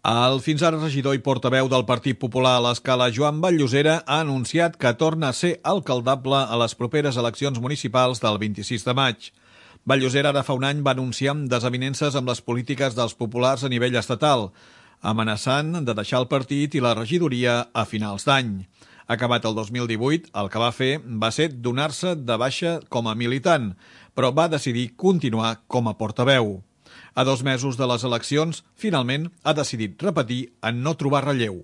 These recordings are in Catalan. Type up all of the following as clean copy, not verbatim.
El fins ara regidor i portaveu del Partit Popular a l'Escala, Joan Vall-Llosera, ha anunciat que torna a ser alcaldable a les properes eleccions municipals del 26 de maig. Vall-Llosera ara fa un any va anunciar desavinences amb les polítiques dels populars a nivell estatal, amenaçant de deixar el partit i la regidoria a finals d'any. Acabat el 2018, el que va fer va ser donar-se de baixa com a militant, però va decidir continuar com a portaveu. A 2 mesos de les eleccions, finalment ha decidit repetir en no trobar relleu.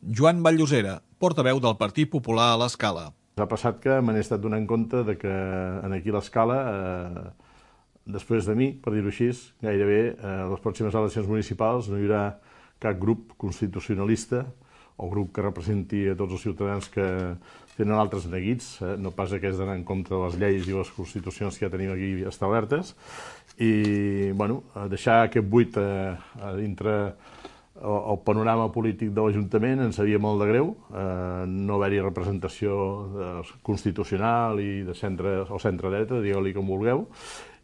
Joan Vall-Llosera, portaveu del Partit Popular a l'Escala. Ha passat que me n'he estat donant compte de que aquí a l'Escala, després de mi, per dir-ho així, gairebé a les pròximes eleccions municipals no hi haurà cap grup constitucionalista o grup que representi a tots els ciutadans que tenen altres neguits, no pas aquests d'anar en compte de les lleis i les constitucions que ja tenim aquí establertes, i deixar aquest buit dintre el panorama polític de l'Ajuntament ens sabia molt de greu, no haver-hi representació constitucional i de centre o centre-dreta, digueu-li com vulgueu,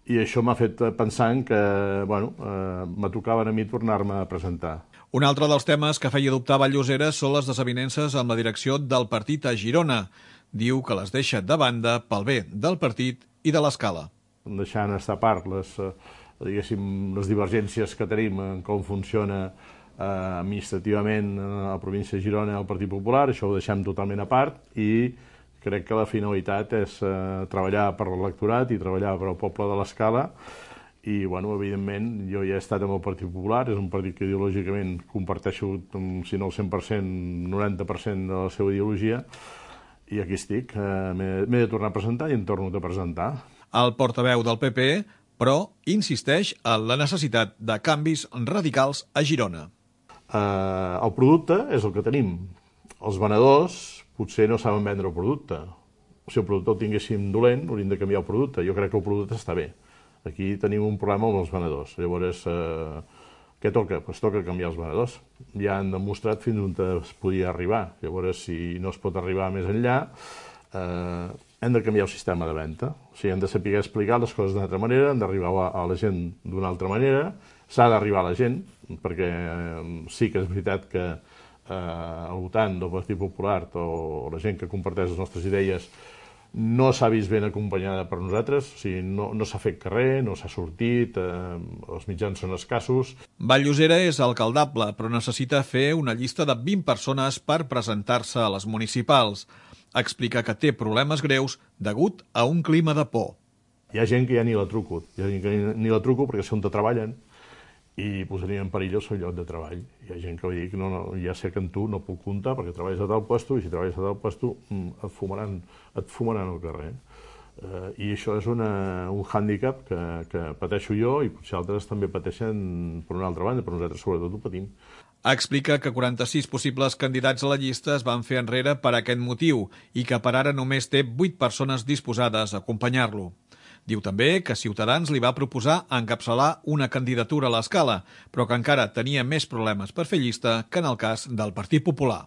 i això m'ha fet pensar que me tocava a mi tornar-me a presentar. Un altre dels temes que feia dubtar Vall-Llosera són les desavinences amb la direcció del partit a Girona. Diu que les deixa de banda pel bé del partit i de l'Escala. Deixant estar a part les divergències que tenim en com funciona administrativament a la província de Girona el Partit Popular, això ho deixem totalment a part i crec que la finalitat és treballar per l'electorat i treballar per al poble de l'Escala. I, evidentment, jo ja he estat amb el Partit Popular, és un partit que ideològicament comparteixo, si no el 100%, 90% de la seva ideologia, i aquí estic. M'he de tornar a presentar i em torno a presentar. El portaveu del PP, però, insisteix en la necessitat de canvis radicals a Girona. El producte és el que tenim. Els venedors potser no saben vendre el producte. Si el producte el tinguéssim dolent, hauríem de canviar el producte. Jo crec que el producte està bé. Aquí tenim un problema amb els venedors. Llavors, què toca? Doncs toca canviar els venedors. Ja han demostrat fins on es podia arribar. Llavors, si no es pot arribar més enllà, hem de canviar el sistema de venda. O sigui, hem de saber explicar les coses d'una altra manera, hem d'arribar a la gent d'una altra manera, s'ha d'arribar a la gent, perquè sí que és veritat que al votant del Partit Popular o la gent que comparteix les nostres idees no s'ha vist ben acompanyada per nosaltres, o sigui, no s'ha fet carrer, no s'ha sortit, els mitjans són escassos. Vall-Llosera és alcaldable, però necessita fer una llista de 20 persones per presentar-se a les municipals. Explica que té problemes greus degut a un clima de por. Hi ha gent que ja ni la truco, perquè sé on treballen i posaria en perill el seu lloc de treball. Hi ha gent que va dir que ja sé que en tu no puc comptar perquè treballes a tal lloc i si treballes a tal lloc et fumaran al carrer. I això és un hàndicap que pateixo jo i potser altres també pateixen per una altra banda, però nosaltres sobretot ho patim. Explica que 46 possibles candidats a la llista es van fer enrere per aquest motiu i que per ara només té 8 persones disposades a acompanyar-lo. Diu també que Ciutadans li va proposar encapçalar una candidatura a l'Escala, però que encara tenia més problemes per fer llista que en el cas del Partit Popular.